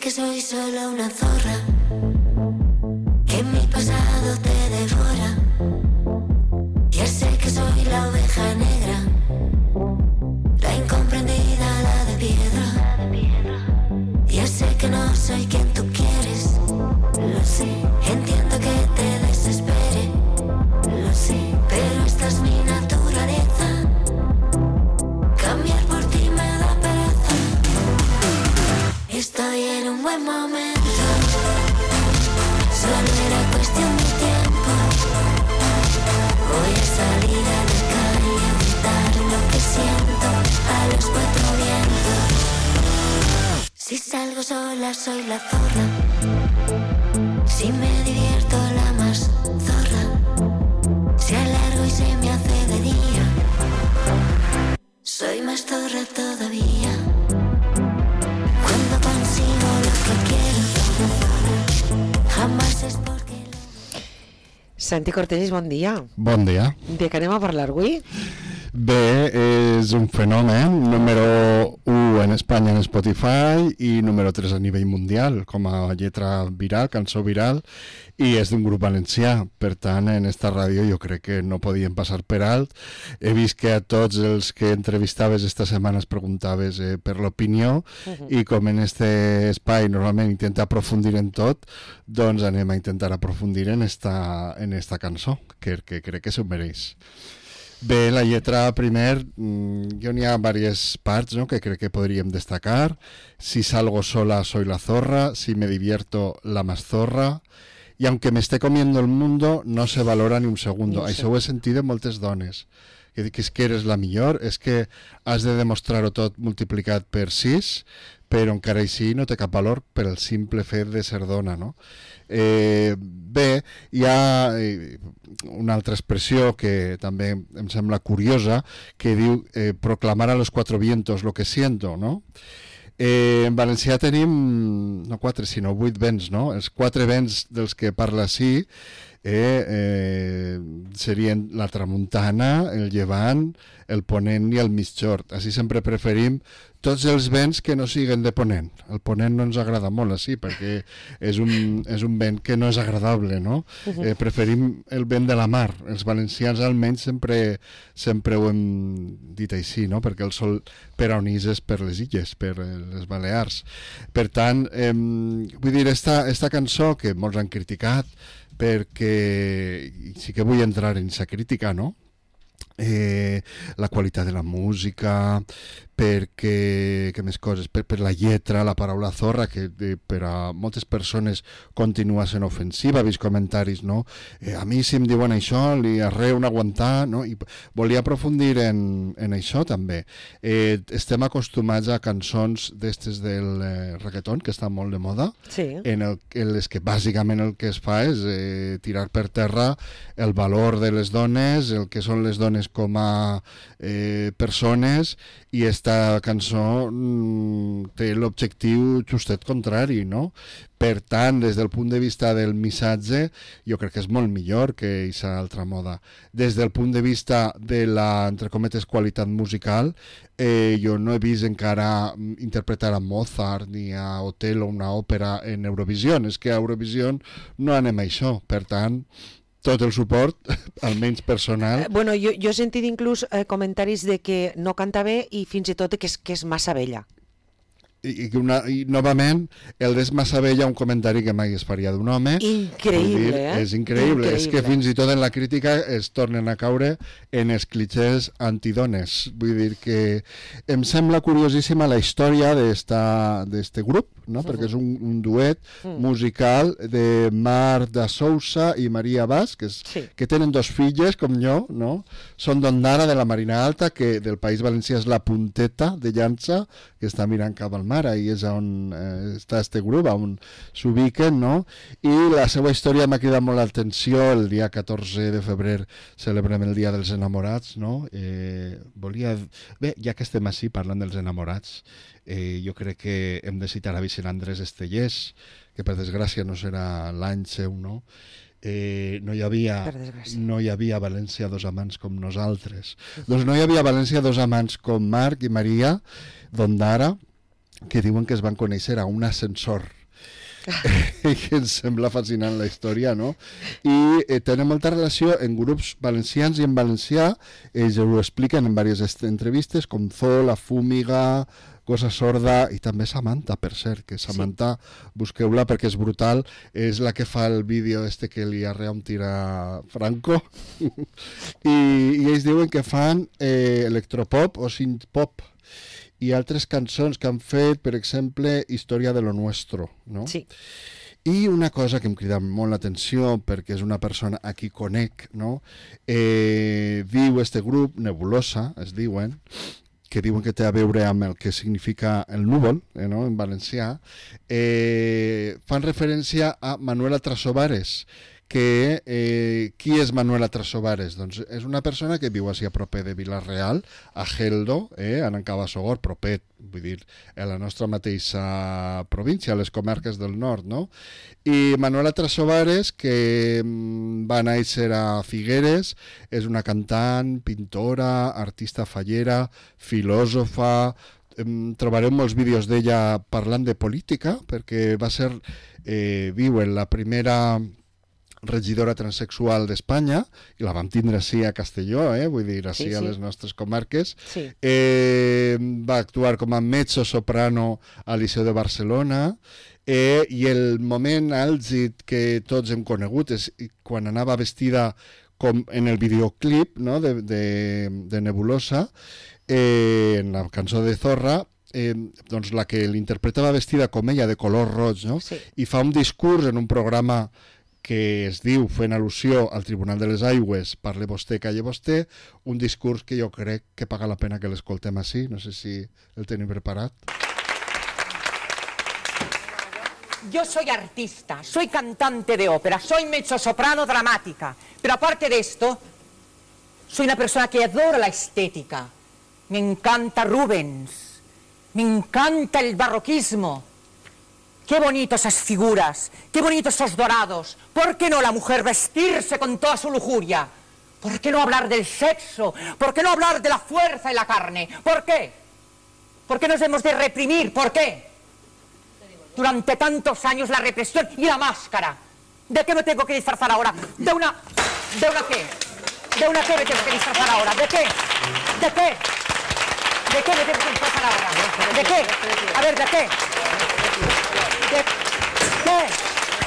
que soy solo una zorra, que mi pasado te devora. Ya sé que soy la oveja negra, la incomprendida, la de piedra. Ya sé que no soy quien tú quieres, lo sé. Entiendo que te desespere, lo sé. Pero esta es mi naturaleza, cambiar por ti me da pereza. Estoy en un buen momento, solo era cuestión de tiempo. Voy a salir a la calle a gritar lo que siento a los cuatro vientos. Si salgo sola soy la zorra, si me divierto la más zorra, si alargo y se me hace de día, soy más zorra todavía. Cuando consigo lo que quiero, jamás es porque... Santi Cortellis, bon dia. Bon dia. De què anem a parlar avui? Bé, és un fenomen, número 1 en Espanya en Spotify i número 3 a nivell mundial, com a lletra viral, cançó viral, i és d'un grup valencià. Per tant, en esta ràdio jo crec que no podien passar per alt. He vist que a tots els que entrevistaves esta setmana es preguntaves per l'opinió, i com en este espai normalment intenta aprofundir en tot, doncs anem a intentar aprofundir en esta cançó, que crec que s'ho mereix. Bé, la lletra, primer, jo n'hi ha diverses parts, ¿no?, que crec que podríem destacar. Si salgo sola, soy la zorra. Si me divierto, la más zorra. Y aunque me esté comiendo el mundo, no se valora ni un segundo. Sí. Això ho he sentit de moltes dones. Que és que eres la millor, és que has de demostrar-ho tot multiplicat per 6, però encara així no té cap valor per el simple fet de ser dona, no? Bé, hi ha una altra expressió que també em sembla curiosa, que diu proclamar a los cuatro vientos lo que siento, no? En valencià tenim no 4 sinó 8 vents, no? Els 4 vents dels que parla així serien la tramuntana, el llevant, el ponent i el mitjord. Així sempre preferim tots els vents que no siguen de ponent. El ponent no ens agrada molt així, perquè és un vent que no és agradable, no? Preferim el vent de la mar. Els valencians almenys sempre ho hem dit així, no? Perquè el sol per on és per les illes, per les Balears. Per tant, vull dir, esta cançó que molts han criticat, perquè sí que vull entrar en aquesta crítica, no? La qualitat de la música, perquè, què més coses, per la lletra, la paraula zorra, que per a moltes persones continua sent ofensiva. He vist comentaris, no? A mi si em diuen això, li arreu un aguantar, no? I volia aprofundir en això també. Estem acostumats a cançons d'estes del reggaeton, que estan molt de moda, sí. En les que bàsicament el que es fa és tirar per terra el valor de les dones, el que són les dones com a persones, i esta cançó té l'objectiu justet contrari, no? Per tant, des del punt de vista del missatge, jo crec que és molt millor que aquesta altra moda. Des del punt de vista de la, entre cometes, qualitat musical, jo no he vist encara interpretar a Mozart ni a Otello una òpera en Eurovisió. És que a Eurovisió no anem a això, per tant... tot el suport, almenys personal. Bueno, jo he sentit inclús comentaris de que no canta bé i fins i tot que és massa vella. I novament, el d'és massa vella, un comentari que mai es faria d'un home. Increïble, dir, és increïble. És que fins i tot en la crítica es tornen a caure en els clichés antidones. Vull dir que em sembla curiosíssima la història d'este grup, no? Perquè és un duet musical de Marta Sousa i Maria Bas, que tenen 2 filles, com jo, no? Són d'Ondara, de la Marina Alta, que del País Valencià és la punteta de llança, que està mirant cap al mar, ahí és on està este grup, on s'ubiquen, no? I la seva història m'ha cridat molt l'atenció. El dia 14 de febrer celebrem el Dia dels Enamorats, no? Bé, ja que estem així parlant dels enamorats, jo crec que hem de citar a Vicent Andrés Estellés, que per desgràcia no serà l'any seu, no? No hi havia a València 2 amants com nosaltres. Doncs no hi havia a València 2 amants com Marc i Maria d'Ondara, que diuen que es van conèixer a un ascensor que ens sembla fascinant la història, no? I tenen molta relació en grups valencians i en valencià, ells ho expliquen en diverses entrevistes, com Zoo, La Fúmiga, Cosa Sorda, i també Samantha, per cert, que Samantha, busqueu-la perquè és brutal, és la que fa el vídeo que li arrea un tir a Franco, i ells diuen que fan electropop o synthpop, i altres cançons que han fet, per exemple, Història de lo Nuestro, no? Sí. I una cosa que em crida molt l'atenció, perquè és una persona a qui conec, no? Diu este grup, Nebulosa, es diuen, que diuen que té a veure amb el que significa el núvol, no? En valencià, fan referència a Manuela Trasobares, que qui és Manuela Trasobares? Doncs és una persona que viu així a proper de Vila-real, a Geldo, a Nancabasogor, proper, vull dir, a la nostra mateixa província, a les comarques del nord, no? I Manuela Trasobares, que va néixer a Figueres, és una cantant, pintora, artista fallera, filòsofa. Trobareu molts vídeos d'ella parlant de política, perquè va ser, viu en la primera regidora transexual d'Espanya, i la vam tindre així a Castelló, vull dir, així a les nostres comarques. Sí. Va actuar com a mezzo-soprano al Liceu de Barcelona, i el moment àlgid que tots hem conegut és quan anava vestida com en el videoclip, no? de Nebulosa, en la cançó de Zorra, doncs la que l'interpretava vestida com ella, de color roig, no? Sí. I fa un discurs en un programa que es diu, fent al·lusió al Tribunal de les Aigües, parle vostè, calle vostè, un discurs que jo crec que paga la pena que l'escoltem així. No sé si el tenim preparat. Yo soy artista, soy cantante de ópera, soy mezzosoprano dramática, pero aparte de esto, soy una persona que adora la estética. Me encanta Rubens, me encanta el barroquismo. Qué bonitas esas figuras, qué bonitos esos dorados. ¿Por qué no la mujer vestirse con toda su lujuria? ¿Por qué no hablar del sexo? ¿Por qué no hablar de la fuerza y la carne? ¿Por qué? ¿Por qué nos hemos de reprimir? ¿Por qué? Durante tantos años la represión y la máscara. ¿De qué me tengo que disfrazar ahora? ¿De una qué? ¿De una qué me tengo que disfrazar ahora? ¿De qué? ¿De qué? ¿De qué me tengo que disfrazar ahora? ¿De qué? A ver, ¿de qué? ¿De qué?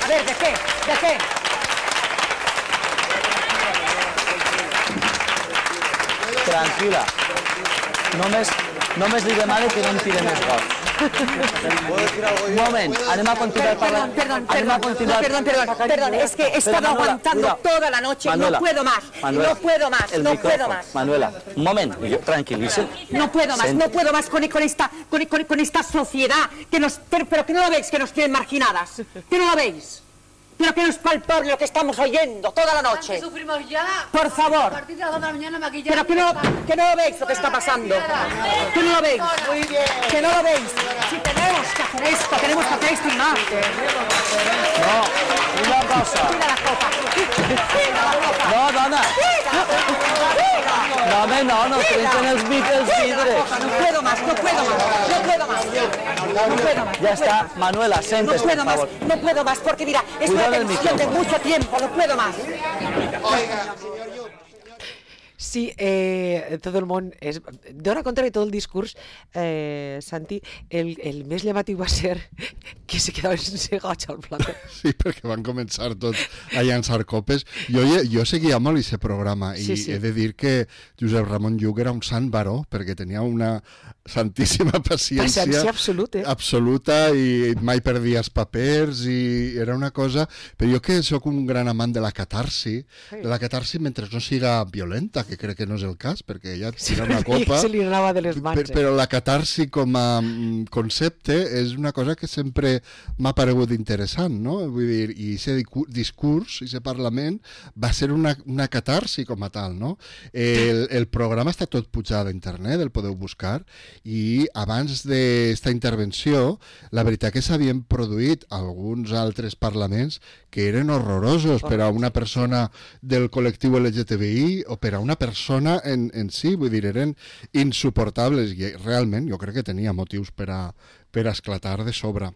A ver, ¿de qué? ¿De qué? Tranquil·la. Només li demano que no em tire més gols. Un moment, anem a continuar parlant. Perdón, es que he estado aguantando toda la noche, no puedo más, no puedo más, no puedo más. Manuela, un moment, tranquil·litza. No puedo más con esta sociedad, pero que no la veis, que nos tienen marginadas, que no la veis. Pero que no es palpable lo que estamos oyendo toda la noche. Sufrimos ya. Por favor. A partir de las 2 de la mañana maquillar. Pero que no lo veis lo que está pasando. Que no lo veis. Muy bien. Que no lo veis. Si tenemos que hacer esto y más. No, una cosa. Tira la copa. No, dona. No, home, no trenquen els vidres. No puedo más. Ya está, Manuela, siéntese, por favor. No puedo más, porque mira, es una Cuidado el tensión de micrófono. mucho tiempo, no puedo más. Sí, tot el món dona compte que tot el discurs, Santi, el més llamatiu va ser que se quedava sense goig al plató. Sí, perquè van començar tots a llançar copes. Jo seguia molt aquest programa i he de dir que Josep Ramon Lluc era un sant baró, perquè tenia una santíssima paciència absoluta i mai perdia els papers i era una cosa... Però jo que sóc un gran amant de la catarsi mentre no siga violenta, que crec que no és el cas, perquè ella tira una copa... Se li anava de les mans. Però la catarsi com a concepte és una cosa que sempre m'ha paregut interessant, no? Vull dir, i aquest discurs, aquest Parlament, va ser una catarsi com a tal, no? El programa està tot pujat a internet, el podeu buscar, i abans d'esta intervenció, la veritat que s'havien produït alguns altres parlaments que eren horrorosos per a una persona del col·lectiu LGTBI o per a una persona en si, vull dir, eren insuportables i realment jo crec que tenia motius per a esclatar de sobre.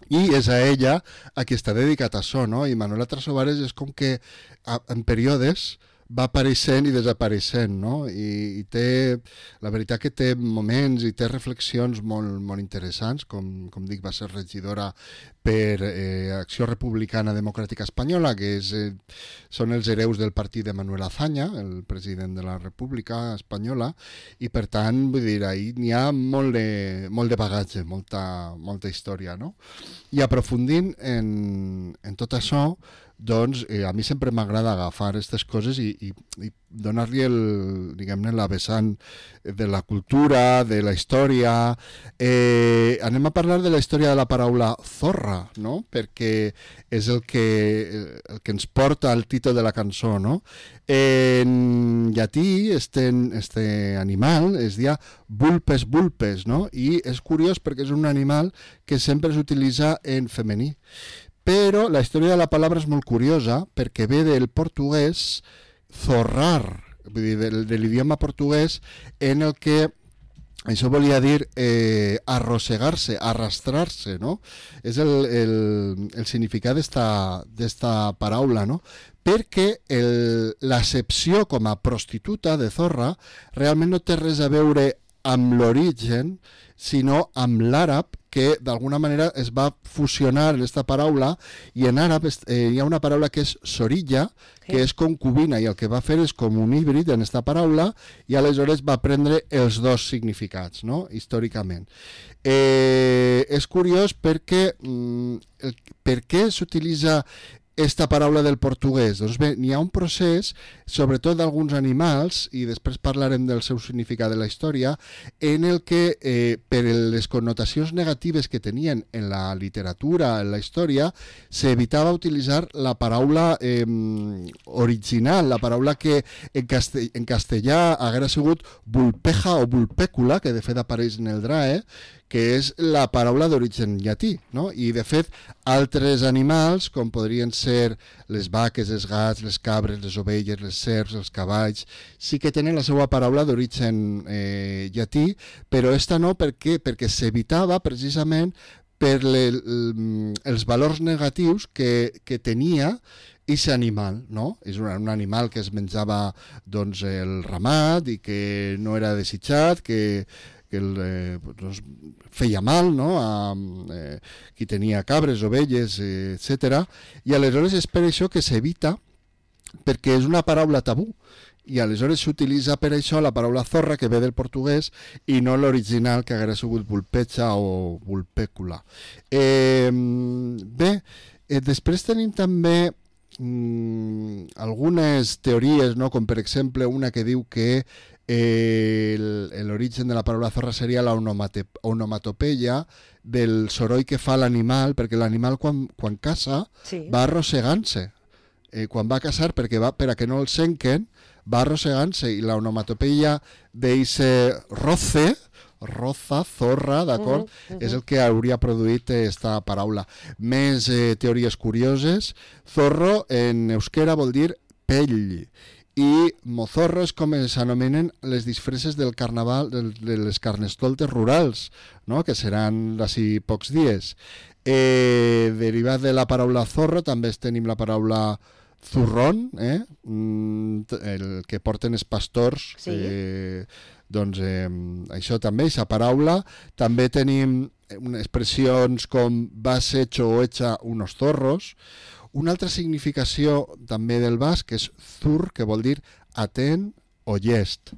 i és a ella a qui està dedicat això, no? I Manuela Trasobares és com que en períodes va apareixent i desapareixent, no? I té, la veritat que té moments i té reflexions molt, molt interessants, com dic, va ser regidora per Acció Republicana Democràtica Espanyola, que són els hereus del partit de Manuel Azaña, el president de la República Espanyola, i per tant, vull dir, ahí n'hi ha molt de bagatge, molta història, no? I aprofundint en tot això, doncs a mi sempre m'agrada agafar aquestes coses i donar-li diguem-ne, la vessant de la cultura, de la història. Anem a parlar de la història de la paraula zorra, no? Perquè és el que ens porta al títol de la cançó, no? En llatí, este animal es dia vulpes vulpes, no? I és curiós perquè és un animal que sempre s'utilitza en femení. Però la història de la paraula és molt curiosa perquè ve del portuguès zorrar, vull dir, de l'idioma portuguès, en el que això volia dir arrossegar-se, arrastrar-se, no? És el significat d'esta paraula, no? Perquè l'accepció com a prostituta de zorra realment no té res a veure amb l'origen, sinó amb l'àrab, que d'alguna manera es va fusionar en aquesta paraula, i en àrab hi ha una paraula que és sorilla, que és concubina, i el que va fer és com un híbrid en aquesta paraula, i aleshores va prendre els dos significats, no? Històricament. És curiós perquè per què s'utilitza esta paraula del portuguès? Doncs bé, n'hi ha un procés, sobretot d'alguns animals, i després parlarem del seu significat de la història, en el que, per les connotacions negatives que tenien en la literatura, en la història, s'evitava utilitzar la paraula original, la paraula que en castellà haguera sigut vulpeja o vulpècula, que de fet apareix en el DRAE, que és la paraula d'origen llatí, no? I de fet altres animals, com podrien ser les vaques, els gats, les cabres, les ovelles, les serps, els cavalls, sí que tenen la seva paraula d'origen llatí, però esta no, perquè s'evitava precisament per els valors negatius que tenia aquest animal, no? És un animal que es menjava doncs, el ramat i que no era desitjat, que feia mal, no? A qui tenia cabres, ovelles, etc. I aleshores és per això que s'evita, perquè és una paraula tabú, i aleshores s'utilitza per això la paraula zorra, que ve del portuguès, i no l'original, que haguera sigut vulpecha o vulpècula. Bé, després tenim també algunes teories, no? Com per exemple una que diu que l'origen de la paraula zorra seria la onomatopeia del soroll que fa l'animal, perquè l'animal quan caça va arrossegant-se. Quan va caçar, per a que no el senquen, va arrossegant-se, i la onomatopeia d'eixe roza, zorra, d'acord? És el que hauria produït esta paraula. Més teories curioses. Zorro en euskera vol dir pell, i mozorro és com s'anomenen les disfresses del carnaval, de les carnestoltes rurals, no? Que seran d'ací pocs dies. Derivat de la paraula zorro també tenim la paraula zurrón, el que porten els pastors. Sí. Doncs això també, aquesta paraula. També tenim expressions com vas hecho o hecha unos zorros. Una altra significació també del basc és zur, que vol dir atent o llest.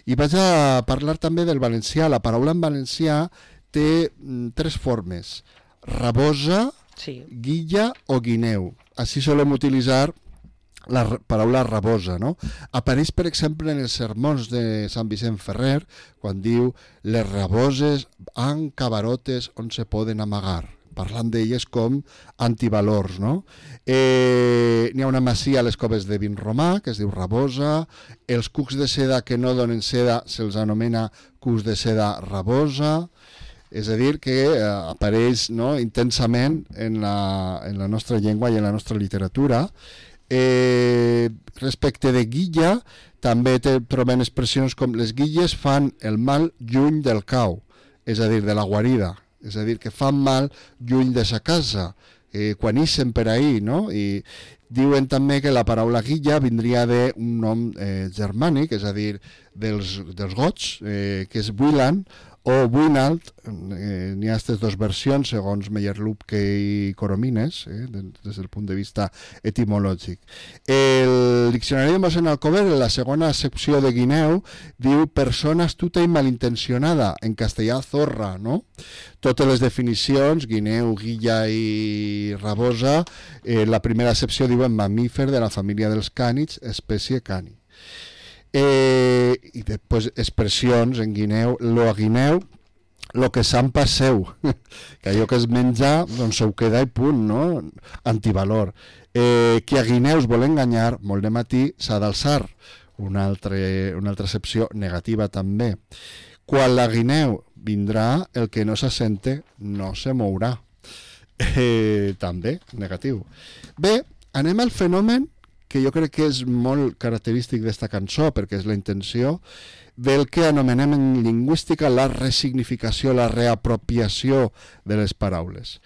I vaig a parlar també del valencià. La paraula en valencià té tres formes: rabosa, guilla o guineu. Així solem utilitzar la paraula rabosa, no? Apareix, per exemple, en els sermons de Sant Vicent Ferrer, quan diu les raboses han cavarotes on se poden amagar, parlant d'elles com antivalors, no? N'hi ha una masia a les coves de Vinromà, que es diu Rabosa. Els cucs de seda que no donen seda se'ls anomena cucs de seda rabosa. És a dir, que apareix, no, intensament en la nostra llengua i en la nostra literatura. Respecte de guilla, també trobem expressions com les guilles fan el mal lluny del cau, és a dir, de la guarida. és a dir, que fan mal lluny de sa casa, quan ixen per ahí, no? I diuen també que la paraula guilla vindria d'un nom germànic, és a dir, dels gots, que és Wieland, o Buinalt, n'hi ha aquestes dues versions segons Meyerlubke i Coromines, des del punt de vista etimològic. El diccionari de mossèn Alcover, en la segona secció de Guineu, diu persona astuta i malintencionada, en castellà zorra, no? Totes les definicions, guineu, guilla i rabosa, la primera accepció diuen mamífer de la família dels cànids, espècie cani. I després expressions en guineu, lo a guineu, lo que se'n passeu, que allò que es menja doncs ho queda i punt, no? Antivalor. Qui a guineus vol enganyar, molt de matí s'ha d'alçar, una altra excepció negativa també. Quan la guineu vindrà, el que no s'assente no se mourà, també negatiu. Bé, anem al fenomen que jo crec que és molt característic d'esta cançó, perquè és la intenció del que anomenem en lingüística la resignificació, la reapropiació de les paraules.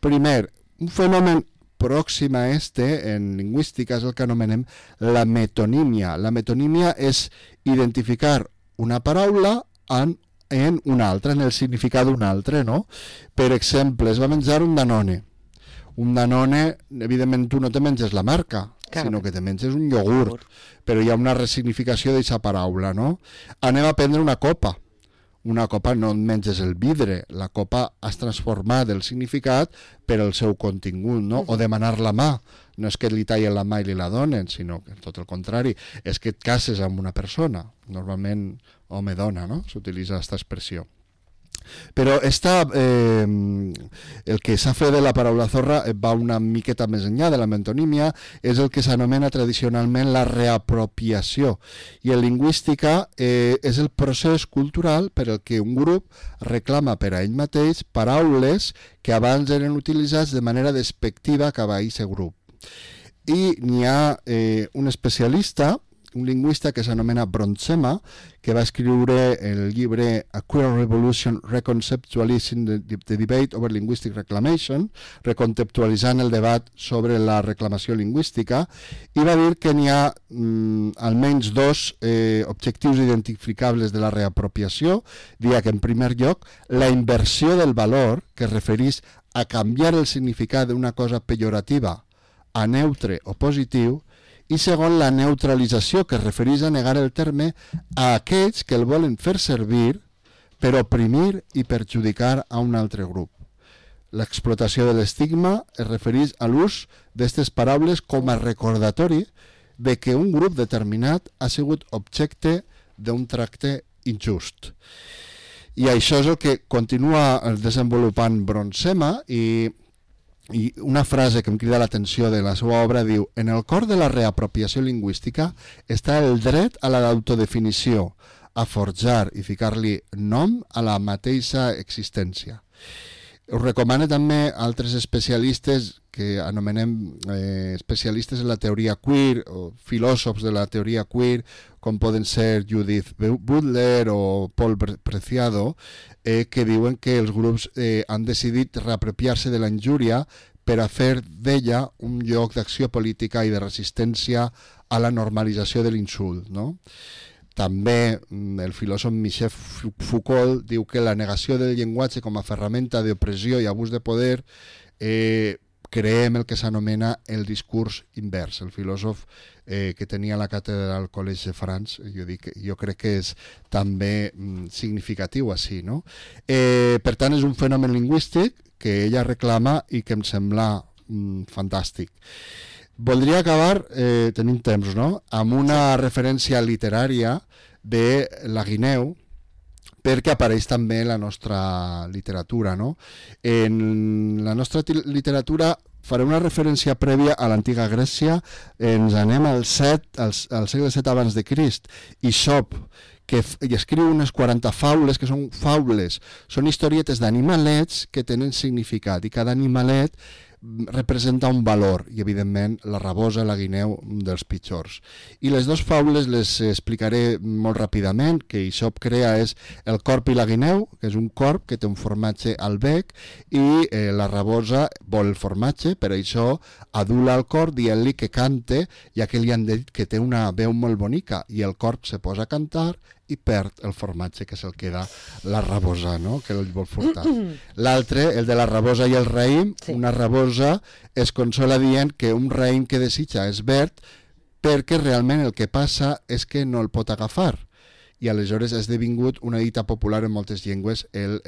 Primer, un fenomen pròxim a en lingüística és el que anomenem la metonímia. La metonímia és identificar una paraula en una altra, en el significat d'una altra, no? Per exemple, es va menjar un Danone. Un Danone, evidentment tu no te menges la marca, sinó que te menges un iogurt, però hi ha una resignificació d'aquesta paraula, no? Anem a prendre una copa. Una copa no et menges el vidre, la copa has transformat el significat per el seu contingut, no? O demanar la mà, no és que li tallen la mà i li la donen, sinó que tot el contrari, és que et cases amb una persona, normalment home-dona, no? S'utilitza aquesta expressió. Però el que s'ha fet de la paraula zorra va una miqueta més enllà de la metonímia, és el que s'anomena tradicionalment la reapropiació, i en lingüística és el procés cultural per el que un grup reclama per a ell mateix paraules que abans eren utilitzats de manera despectiva cap a aquest grup. I n'hi ha un especialista, un lingüista que s'anomena Bronsema, que va escriure el llibre A Queer Revolution Reconceptualizing the Debate over Linguistic Reclamation, reconceptualitzant el debat sobre la reclamació lingüística, i va dir que n'hi ha almenys dos objectius identificables de la reapropiació. Dia que, en primer lloc, la inversió del valor, que es refereix a canviar el significat d'una cosa pejorativa a neutre o positiu, i segon, la neutralització, que es refereix a negar el terme a aquells que el volen fer servir per oprimir i perjudicar a un altre grup. L'explotació de l'estigma es refereix a l'ús d'aquestes paraules com a recordatori de que un grup determinat ha sigut objecte d'un tracte injust. I això és el que continua desenvolupant Bronsema, i una frase que em crida l'atenció de la seva obra diu: en el cor de la reapropiació lingüística està el dret a l'autodefinició, a forjar i ficar-li nom a la mateixa existència. Us recomano també altres especialistes que anomenem especialistes en la teoria queer, o filòsofs de la teoria queer, com poden ser Judith Butler o Paul Preciado, que diuen que els grups han decidit reapropiar-se de la injúria per a fer d'ella un lloc d'acció política i de resistència a la normalització de l'insult, no? També el filòsof Michel Foucault diu que la negació del llenguatge com a ferramenta d'opressió i abús de poder creem el que s'anomena el discurs invers. El filòsof que tenia la càtedra al Collège de France, jo crec que és també significatiu així, no? Per tant, és un fenomen lingüístic que ella reclama i que em sembla fantàstic. Voldria acabar, tenim temps, no?, amb una referència literària de la guineu, perquè apareix també en la nostra literatura, no? En la nostra literatura faré una referència prèvia a l'antiga Grècia. Ens anem al segle VII abans de Crist. Isop, que escriu unes 40 faules, que són faules, són historietes d'animalets que tenen significat, i cada animalet representa un valor i evidentment la rabosa, la guineu dels pitjors. I les dues faules les explicaré molt ràpidament. Que Aesop crea és el corb i la guineu, que és un corb que té un formatge al bec i la rabosa vol el formatge, per això adula el corb dient-li que cante, ja que li han dit que té una veu molt bonica, i el corb se posa a cantar i perd el formatge, que se'l queda la rabosa, no? Que el vol furtar. L'altre, el de la rabosa i el raïm, sí. Una rabosa es consola dient que un raïm que desitja és verd perquè realment el que passa és que no el pot agafar. I aleshores ha esdevingut una dita popular en moltes llengües, el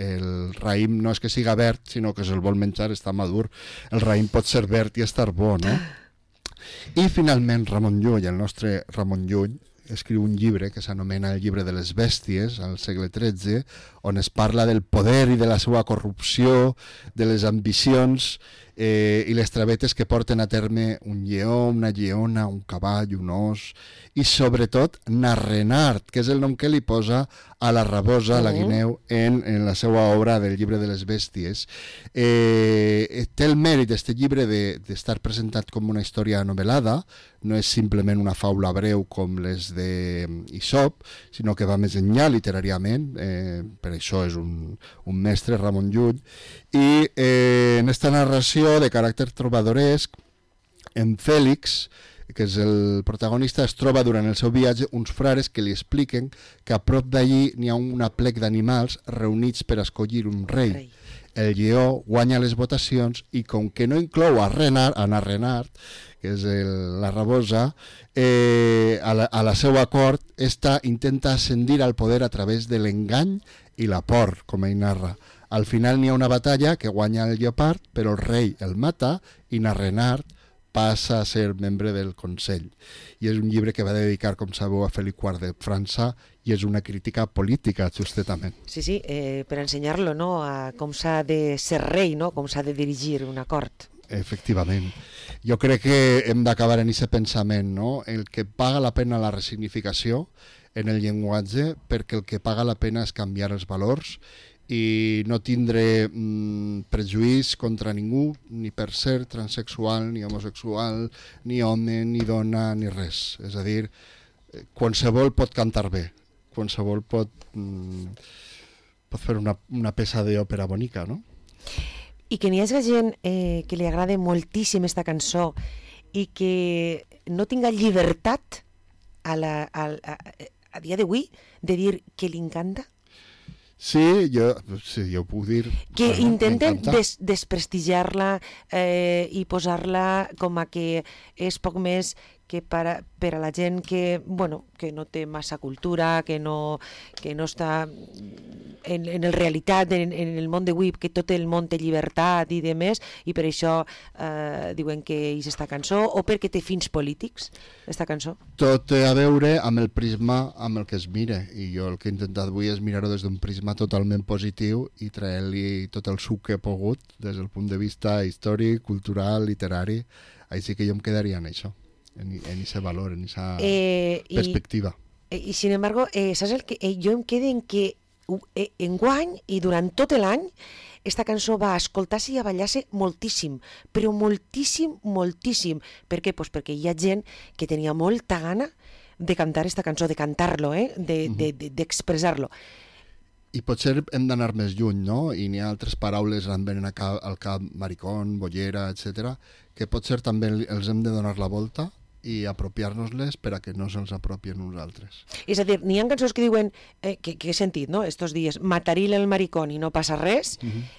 raïm no és que siga verd, sinó que se'l vol menjar, està madur. El raïm pot ser verd i estar bo, no? I finalment Ramon Llull, el nostre Ramon Llull, escriu un llibre que s'anomena El llibre de les bèsties, al segle XIII, on es parla del poder i de la seva corrupció, de les ambicions i les travetes que porten a terme un lleó, una lleona, un cavall, un os, i sobretot Narrenart, que és el nom que li posa a la rabosa, a la guineu, en la seva obra del llibre de les bèsties. Té el mèrit d'aquest llibre d'estar presentat com una història novel·lada, no és simplement una faula breu com les d'Aesop, sinó que va més enllà literàriament, per això és un mestre, Ramon Llull, i en aquesta narració de caràcter trobadoresc, en Fèlix, que és el protagonista, es troba durant el seu viatge uns frares que li expliquen que a prop d'allí n'hi ha una plec d'animals reunits per escollir un rei. El lleó guanya les votacions i com que no inclou a Narrenart, que és la rabosa, a la seva cort, esta intenta ascendir al poder a través de l'engany i la por, com ell narra. Al final n'hi ha una batalla que guanya el lleopard, però el rei el mata i Narrenart passa a ser membre del Consell. I és un llibre que va dedicar, com sabeu, a Felip IV de França, i és una crítica política, justament. Sí, per ensenyar-lo, no?, a com s'ha de ser rei, no?, com s'ha de dirigir una cort. Efectivament. Jo crec que hem d'acabar en aquest pensament, no?, el que paga la pena la resignificació en el llenguatge, perquè el que paga la pena és canviar els valors i no tindre prejuís contra ningú, ni per ser transexual, ni homosexual, ni home, ni dona, ni res. És a dir, qualsevol pot cantar bé, qualsevol pot fer una peça d'òpera bonica, no? I que n'hi hagi gent que li agrada moltíssim esta cançó i que no tinga llibertat a dia d'avui de dir que li encanta? Sí, jo ho puc dir. Que intenten desprestigiar-la i posar-la com a que és poc més que per a la gent que no té massa cultura, que no està en la realitat, en el món d'avui, que tot el món té llibertat i de més, i per això diuen que és esta cançó, o perquè té fins polítics, esta cançó? Tot té a veure amb el prisma amb el que es mira, i jo el que he intentat avui és mirar-ho des d'un prisma totalment positiu i traure-li tot el suc que he pogut des del punt de vista històric, cultural, literari. Així que jo em quedaria en això, en ese valor, en esa perspectiva. I sin embargo, saps el que jo em quedo en que enguany i durant tot l'any esta cançó va escoltar-se i a ballar-se moltíssim, però moltíssim, moltíssim. Per què? Pues perquè hi ha gent que tenia molta gana de cantar esta cançó, de cantar-lo, d'expressar-lo. I potser hem d'anar més lluny, no? I n'hi ha altres paraules que em venen al cap, maricón, bollera, etc., que potser també els hem de donar la volta i apropiar-nos-les per a que no se'ls apropien nosaltres. És a dir, n'hi ha cançons que diuen, que he sentit, no?, estos dies, mataril el maricón i no passa res,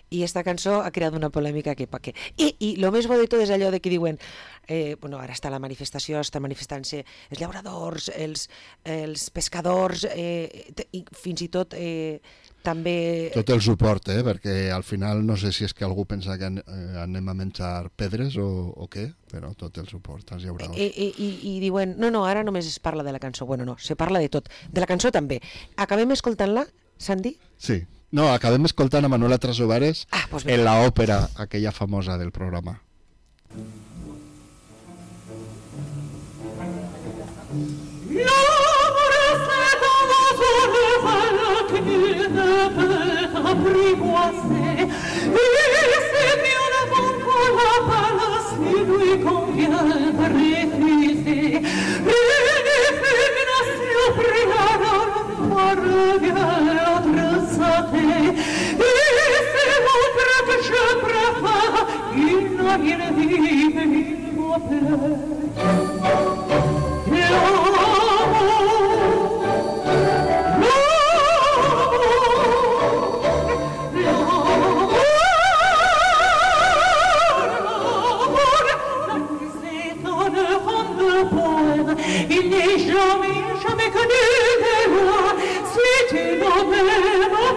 i esta cançó ha creat una polèmica que pa què. I el més bo de tot és allò de que diuen, ara està la manifestació, està manifestant-se els llauradors, els pescadors, i fins i tot també... Tot el suport, perquè al final no sé si és que algú pensa que anem a menjar pedres o què, però tot el suport als llauradors. I diuen, no, ara només es parla de la cançó. Bueno, no, se parla de tot. De la cançó també. Acabem escoltant-la, Sandy? Sí. No, acabem escoltant a Manuela Trasobares en l'òpera, aquella famosa del programa. Apprivoisé, et c'est mieux avant pour la E